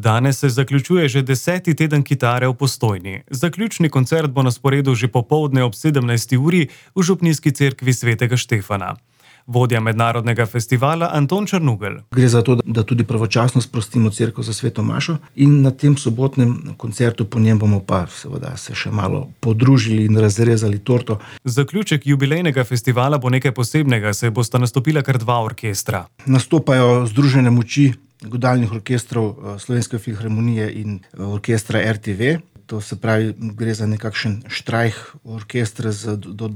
Danes se zaključuje že 10. teden kitare v Postojni. Zaključni koncert bo na sporedu že popoldne ob 17. uri v Župnijski cerkvi svetega Štefana. Vodja mednarodnega festivala Anton Črnugelj. Gre za to, da tudi pravočasno sprostimo cerkev za sveto mašo in na tem sobotnem koncertu po njem bomo pa seveda se še malo podružili in razrezali torto. Zaključek jubilejnega festivala bo nekaj posebnega, saj bosta nastopila kar 2 orkestra. Nastopajo združene moči godalnih orkestrov Slovenske filharmonije in orkestra RTV. To se pravi, gre za nekakšen štrajh orkestra z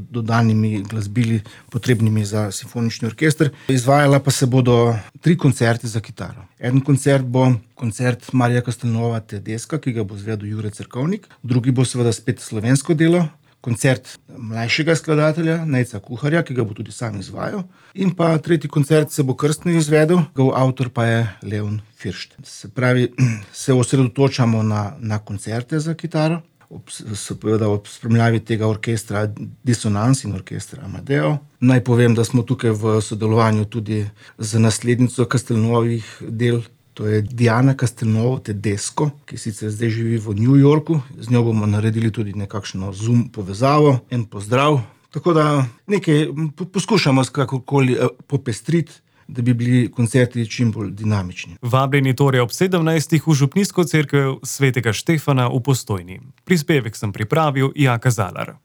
dodanimi glasbili, potrebnimi za simfonični orkester. Izvajala pa se bodo 3 koncerti za kitaro. En koncert bo koncert Marija Castelnuova Tedesca, ki ga bo izvedel Jure Cerkovnik. Drugi bo seveda spet slovensko delo. Koncert mlajšega skladatelja, Nejca Kuharja, ki ga bo tudi sam izvajal. In pa tretji koncert se bo krstno izvedel, avtor pa je Leon Firšt. Se pravi, se osredotočamo na koncerte za kitaro, seveda ob spremljavi tega orkestra Dissonance in orkestra Amadeo. Naj povem, da smo tukaj v sodelovanju tudi z naslednico Castelnuovih del, to je Diana Castelnuovo Tedesco, ki sicer zdaj živi v New Yorku. Z njo bomo naredili tudi nekakšno Zoom povezavo, en pozdrav. Tako da nekaj poskušamo kakorkoli popestriti, da bi bili koncerti čim bolj dinamični. Vabljeni torej ob 17. v Župnijsko cerkev svetega Štefana v Postojni. Prispevek sem pripravil Jaka Zalar.